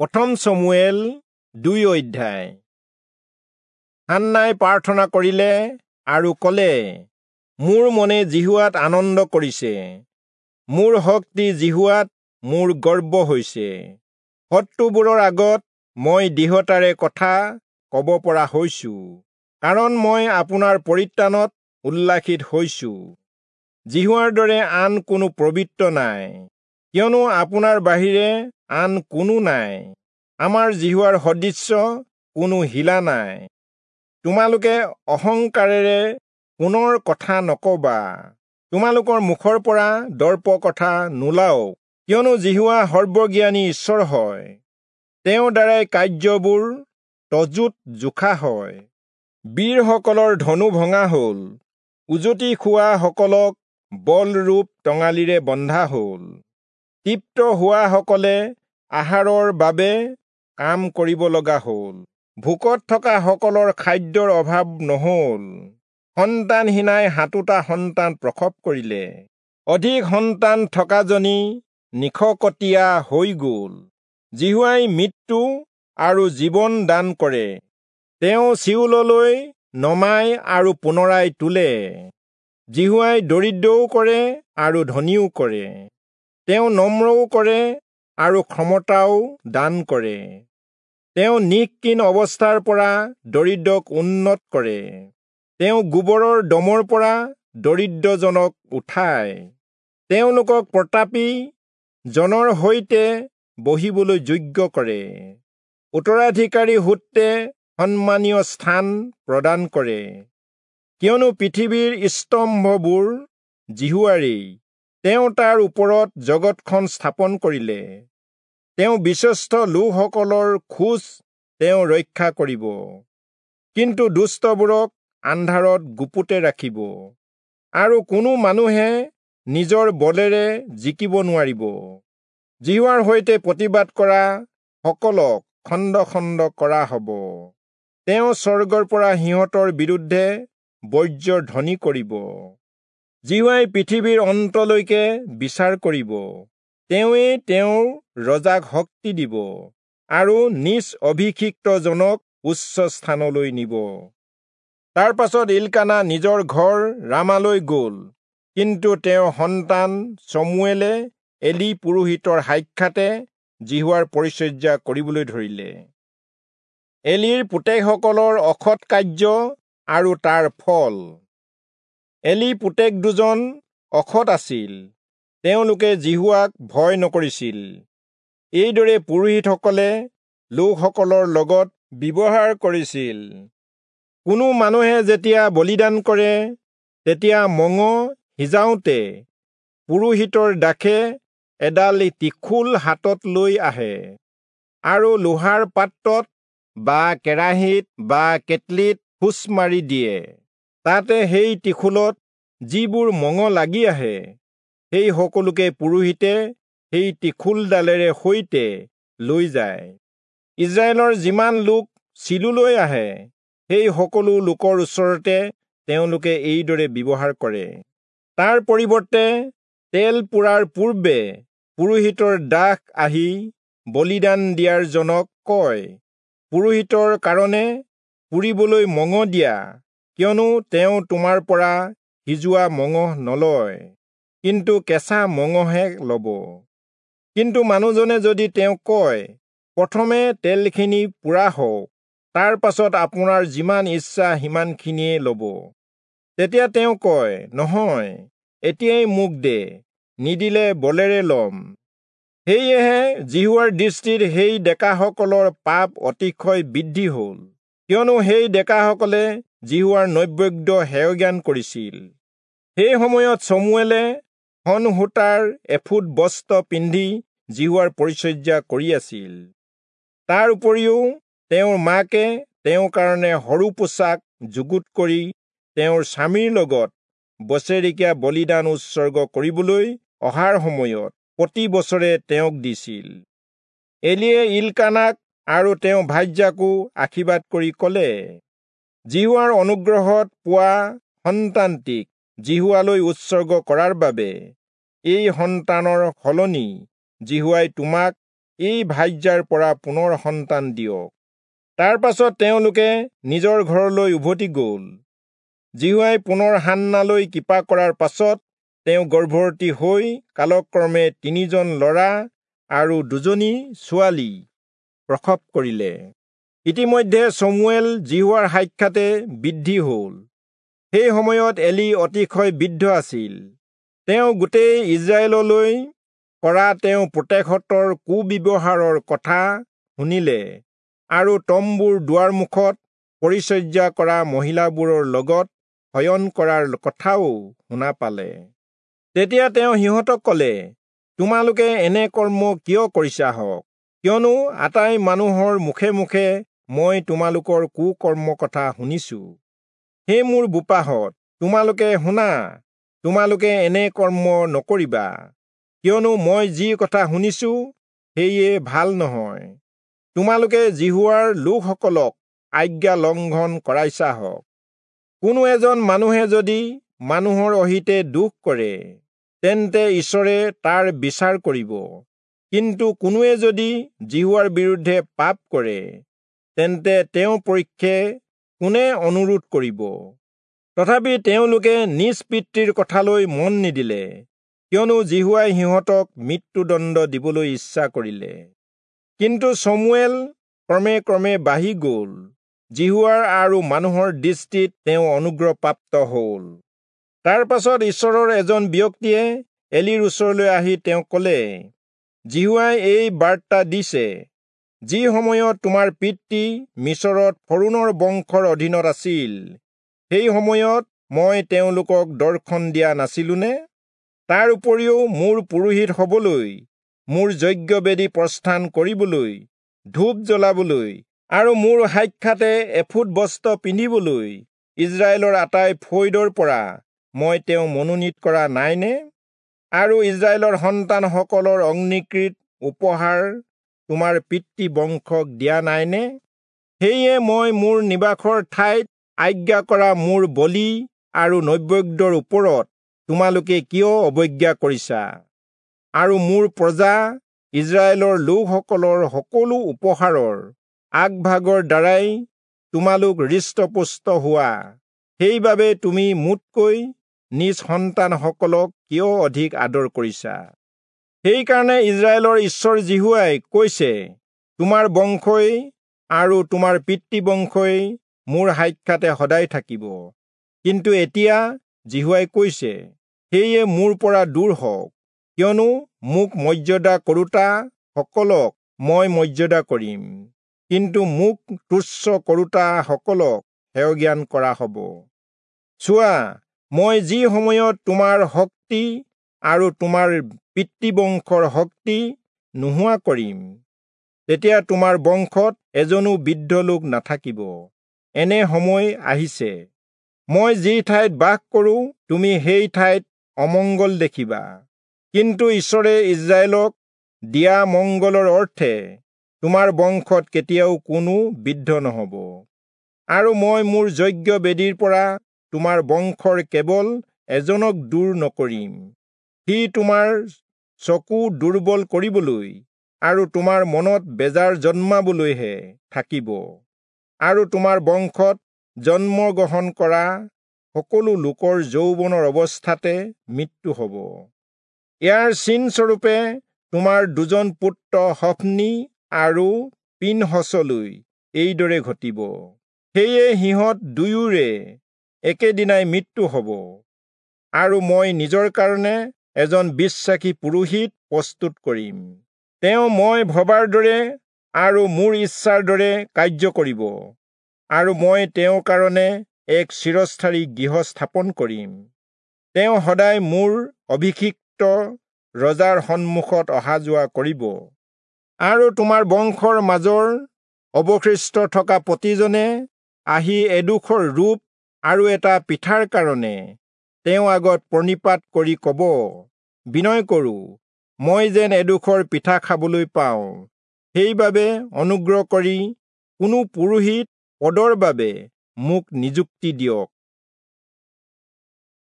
প্ৰথম চমুৱেল 2 অধ্যায়। হান্নাই প্ৰাৰ্থনা কৰিলে আৰু ক'লে, মোৰ মনে যিহোৱাত আনন্দ কৰিছে, মোৰ শক্তি যিহোৱাত মোৰ গৰ্ব হৈছে। শত্ৰুবোৰৰ আগত মই দৃঢ়তাৰে কথা ক'ব পৰা হৈছো, কাৰণ মই আপোনাৰ পৰিত্ৰাণত উল্লাসিত হৈছো। যিহোৱাৰ দৰে আন কোনো পবিত্ৰ নাই, কিয়নো আপোনাৰ বাহিৰে আন কোনো নাই। আমাৰ যিহোৱাৰ সদৃশ্য কোনো শিলা নাই। তোমালোকে অহংকাৰেৰে পুনৰ কথা নকবা, তোমালোকৰ মুখৰ পৰা দৰ্প কথা নোলাওক, কিয়নো যিহোৱা সৰ্বজ্ঞানী ঈশ্বৰ হয়, তেওঁৰ দ্বাৰাই কাৰ্যবোৰ তজুত জোখা হয়। বীৰসকলৰ ধনু ভঙা হ'ল, উজতি খোৱা সকলক বলৰূপ টঙালিৰে বন্ধা হ'ল। তৃপ্ত হোৱাসকলে আহাৰৰ বাবে কাম কৰিব লগা হ'ল, ভোকত থকা সকলৰ খাদ্যৰ অভাৱ নহ'ল। সন্তানহীনাই 7টা সন্তান প্ৰসৱ কৰিলে, অধিক সন্তান থকাজনী নিশকতীয়া হৈ গ'ল। যিহোৱাই মৃত্যু আৰু জীৱন দান কৰে, তেওঁ চিয়োললৈ নমাই আৰু পুনৰাই তোলে। যিহোৱাই দৰিদ্ৰও কৰে আৰু ধনীও কৰে, তেওঁ নম্ৰও কৰে আৰু ক্ষমতাও দান কৰে। তেওঁ নিঃকিন অৱস্থাৰ পৰা দৰিদ্ৰক উন্নত কৰে, তেওঁ গোবৰৰ দমৰ পৰা দৰিদ্ৰজনক উঠায়। তেওঁলোকক প্ৰতাপী জনৰ সৈতে বহিবলৈ যোগ্য কৰে, উত্তৰাধিকাৰী সূত্ৰে সন্মানীয় স্থান প্ৰদান কৰে। কিয়নো পৃথিৱীৰ স্তম্ভবোৰ যিহোৱাৰেই, তেওঁ তাৰ ওপৰত জগতখন স্থাপন কৰিলে। তেওঁ বিশ্বস্ত লোকসকলৰ খোজ তেওঁ ৰক্ষা কৰিব, কিন্তু দুষ্টবোৰক আন্ধাৰত গুপুতে ৰাখিব, আৰু কোনো মানুহে নিজৰ বলেৰে জিকিব নোৱাৰিব। যিহোৱাৰ সৈতে প্ৰতিবাদ কৰা সকলক খণ্ড খণ্ড কৰা হ'ব, তেওঁ স্বৰ্গৰ পৰা সিহঁতৰ বিৰুদ্ধে বজ্ৰ ধ্বনি কৰিব। যিহোৱাই পৃথিৱীৰ অন্তলৈকে বিচাৰ কৰিব, তেওঁৱেই তেওঁৰ ৰজাক শক্তি দিব আৰু নিজ অভিষিক্তজনক উচ্চ স্থানলৈ নিব। তাৰ পাছত ইলকানা নিজৰ ঘৰ ৰামালৈ গ'ল, কিন্তু তেওঁৰ সন্তান চমুৱেলে এলি পুৰোহিতৰ সাক্ষাতে যিহোৱাৰ পৰিচৰ্যা কৰিবলৈ ধৰিলে। এলিৰ পুতেকসকলৰ অসৎ কাৰ্য আৰু তাৰ ফল। এলি পুতেক দুজন অসৎ আছিল, তেওঁলোকে যিহোৱাক ভয় নকৰিছিল। এইদৰে পুৰোহিতসকলে লোকসকলৰ লগত ব্যৱহাৰ কৰিছিল। কোনো মানুহে যেতিয়া বলিদান কৰে, তেতিয়া মঙহ সিজাওঁতে পুৰোহিতৰ দাসে এডাল ত্ৰিশূল হাতত লৈ আহে আৰু লোহাৰ পাত্ৰত বা কেৰাহীত বা কেটলিত খোঁচ মাৰি দিয়ে। তাতে সেই ত্ৰিশূলত যিবোৰ মঙহ লাগি আহে, সেই সকলোকে পুৰোহিতে সেই ত্ৰিশূলডালেৰে সৈতে লৈ যায়। ইস্ৰায়েলৰ যিমান লোক চিলোলৈ আহে, সেই সকলো লোকৰ ওচৰতে তেওঁলোকে এইদৰে ব্যৱহাৰ কৰে। তাৰ পৰিৱৰ্তে তেল পোৰাৰ পূৰ্বে পুৰোহিতৰ দাস আহি বলিদান দিয়াৰ জনক কয়, পুৰোহিতৰ কাৰণে পুৰিবলৈ মঙহ দিয়া, কিয়নো তেওঁ তোমাৰ পৰা সিজোৱা মঙহ নলয়, কিন্তু কেঁচা মঙহে ল'ব। কিন্তু মানুহজনে যদি তেওঁক কয়, প্ৰথমে তেলখিনি পোৰা হওক, তাৰ পাছত আপোনাৰ যিমান ইচ্ছা সিমানখিনিয়ে ল'ব, তেতিয়া তেওঁ কয়, নহয়, এতিয়াই মোক দে, নিদিলে বলেৰে ল'ম। সেয়েহে যিহোৱাৰ দৃষ্টিত সেই ডেকাসকলৰ পাপ অতিশয় বৃদ্ধি হ'ল, কিয়নো সেই ডেকাসকলে যিহোৱাৰ নৈবেদ্য হেয়জ্ঞান কৰিছিল। সেই সময়ত চমুৱেলে শণ সূতাৰ এফুট বস্ত্ৰ পিন্ধি যিহোৱাৰ পৰিচৰ্যা কৰি আছিল। তাৰ উপৰিও তেওঁৰ মাকে তেওঁৰ কাৰণে সৰু পোছাক যুগুত কৰি তেওঁৰ স্বামীৰ লগত বছেৰেকীয়া বলিদান উৎসৰ্গ কৰিবলৈ অহাৰ সময়ত প্ৰতি বছৰে তেওঁক দিছিল। এলিয়ে ইলকানাক আৰু তেওঁৰ ভাৰ্যাকো আশীৰ্বাদ কৰি ক'লে, যিহোৱাৰ অনুগ্ৰহত পোৱা সন্তানটিক যিহোৱালৈ উৎসৰ্গ কৰাৰ বাবে এই সন্তানৰ সলনি যিহোৱাই তোমাক এই ভাৰ্যাৰ পৰা পুনৰ সন্তান দিয়ক। তাৰ পাছত তেওঁলোকে নিজৰ ঘৰলৈ উভতি গ'ল। যিহোৱাই পুনৰ হান্নালৈ কৃপা কৰাৰ পাছত তেওঁ গৰ্ভৱতী হৈ কালক্ৰমে 3জন ল'ৰা আৰু 2জনী ছোৱালী প্ৰসৱ কৰিলে। ইতিমধ্যে চমুৱেল যিহোৱাৰ সাক্ষাতে বৃদ্ধি হ'ল। সেই সময়ত এলি অতিশয় বৃদ্ধ আছিল। তেওঁ গোটেই ইস্ৰায়েললৈ কৰা তেওঁ পুতেকহঁতৰ কুব্যৱহাৰৰ কথা শুনিলে আৰু তম্বুৰ দুৱাৰমুখত পৰিচৰ্যা কৰা মহিলাবোৰৰ লগত শয়ন কৰাৰ কথাও শুনা পালে। তেতিয়া তেওঁ সিহঁতক ক'লে, তোমালোকে এনে কৰ্ম কিয় কৰিছা হওক? কিয়নো আটাই মানুহৰ মুখে মুখে মই তোমালোকৰ কুকৰ্ম কথা শুনিছো। হে মোৰ বোপাহঁত, তোমালোকে শুনা, তোমালোকে এনে কৰ্ম নকৰিবা, কিয়নো মই যি কথা শুনিছো সেয়ে ভাল নহয়। তোমালোকে যিহোৱাৰ লোকসকলক আজ্ঞা লংঘন কৰাইছা হওক। কোনো এজন মানুহে যদি মানুহৰ অহিতে দোষ কৰে, তেন্তে ঈশ্বৰে তাৰ বিচাৰ কৰিব। কিন্তু কোনোৱে যদি যিহোৱাৰ বিৰুদ্ধে পাপ কৰে, তেন্তে তেওঁৰ পক্ষে কোনে অনুৰোধ কৰিব? তথাপি তেওঁলোকে নিজ পিতৃৰ কথালৈ মন নিদিলে, কিয়নো যিহোৱাই সিহঁতক মৃত্যুদণ্ড দিবলৈ ইচ্ছা কৰিলে। কিন্তু চমুৱেল ক্ৰমে ক্ৰমে বাঢ়ি গ'ল, যিহোৱাৰ আৰু মানুহৰ দৃষ্টিত তেওঁ অনুগ্ৰহপ্ৰাপ্ত হ'ল। তাৰ পাছত ঈশ্বৰৰ এজন ব্যক্তিয়ে এলিৰ ওচৰলৈ আহি তেওঁক ক'লে, যিহোৱাই এই বাৰ্তা দিছে, যি সময়ত তোমাৰ পিতৃ মিচৰত ফৰোণৰ বংশৰ অধীনত আছিল, সেই সময়ত মই তেওঁলোকক দৰ্শন দিয়া নাছিলোনে? তাৰ উপৰিও মোৰ পুৰোহিত হ'বলৈ, মোৰ যজ্ঞবেদী প্ৰস্থান কৰিবলৈ, ধূপ জ্বলাবলৈ আৰু মোৰ সাক্ষাতে এফুট বস্ত্ৰ পিন্ধিবলৈ ইস্ৰায়েলৰ আটাই ফৈদৰ পৰা মই তেওঁ মনোনীত কৰা নাইনে? আৰু ইস্ৰায়েলৰ সন্তানসকলৰ অগ্নিকৃত উপহাৰ তোমাৰ পিতৃ বংশক দিয়া নাইনে? সেয়ে মই মোৰ নিবাসৰ ঠাইত আজ্ঞা কৰা মোৰ বলি আৰু নৈবেদ্যৰ ওপৰত তোমালোকে কিয় অৱজ্ঞা কৰিছা? আৰু মোৰ প্ৰজা ইস্ৰায়েলৰ লোকসকলৰ সকলো উপহাৰৰ আগভাগৰ দ্বাৰাই তোমালোক হৃষ্টপুষ্ট হোৱা, সেইবাবে তুমি মোতকৈ নিজ সন্তানসকলক কিয় অধিক আদৰ কৰিছা? সেইকাৰণে ইস্ৰায়েলৰ ঈশ্বৰ যিহোৱাই কৈছে, তোমাৰ বংশই আৰু তোমাৰ পিতৃবংশই মোৰ সাক্ষাতে সদায় থাকিব। কিন্তু এতিয়া যিহোৱাই কৈছে, সেয়ে মোৰ পৰা দূৰ হওক, কিয়নো মোক মৰ্যাদা কৰোঁতা সকলক মই মৰ্যাদা কৰিম, কিন্তু মোক তুচ্ছ কৰোঁতা সকলক হেয়জ্ঞান কৰা হ'ব। চোৱা, মই যি সময়ত তোমাৰ শক্তি আৰু তোমাৰ পিতৃবংশৰ শক্তি নোহোৱা কৰিম, তেতিয়া তোমাৰ বংশত এজনো বৃদ্ধ লোক নাথাকিব। এনে সময় আহিছে, মই যি ঠাইত বাস কৰোঁ তুমি সেই ঠাইত অমংগল দেখিবা। কিন্তু ঈশ্বৰে ইস্ৰায়েলক দিয়া মংগলৰ অৰ্থে তোমাৰ বংশত কেতিয়াও কোনো বৃদ্ধ নহ'ব। আৰু মই মোৰ যজ্ঞ বেদীৰ পৰা তোমাৰ বংশৰ কেৱল এজনক দূৰ নকৰিম, সি তোমাৰ চকু দুৰ্বল কৰিবলৈ আৰু তোমাৰ মনত বেজাৰ জন্মাবলৈহে থাকিব। আৰু তোমাৰ বংশত জন্মগ্ৰহণ কৰা সকলো লোকৰ যৌৱনৰ অৱস্থাতে মৃত্যু হ'ব। ইয়াৰ চিনস্বৰূপে তোমাৰ 2জন পুত্ৰ হফনি আৰু পিনহচলৈ এইদৰে ঘটিব। সেয়ে সিহঁত দুয়োৰে একেদিনাই মৃত্যু হ'ব। আৰু মই নিজৰ কাৰণে এজন বিশ্বাসী পুৰোহিত প্ৰস্তুত কৰিম, তেওঁ মই ভবাৰ দৰে আৰু মোৰ ইচ্ছাৰ দৰে কাৰ্য কৰিব, আৰু মই তেওঁৰ কাৰণে এক চিৰস্থায়ী গৃহ স্থাপন কৰিম। তেওঁ সদায় মোৰ অভিষিক্ত ৰজাৰ সন্মুখত অহা যোৱা কৰিব। আৰু তোমাৰ বংশৰ মাজৰ অৱশিষ্ট থকা প্ৰতিজনে আহি এডোখৰ ৰূপ আৰু এটা পিঠাৰ কাৰণে তেওঁ আগত প্ৰণিপাত কৰি ক'ব, বিনয় কৰোঁ, মই যেন এডোখৰ পিঠা খাবলৈ পাওঁ। সেইবাবে অনুগ্ৰহ কৰি কোনো পুৰোহিত পদৰ বাবে মোক নিযুক্তি দিয়ক।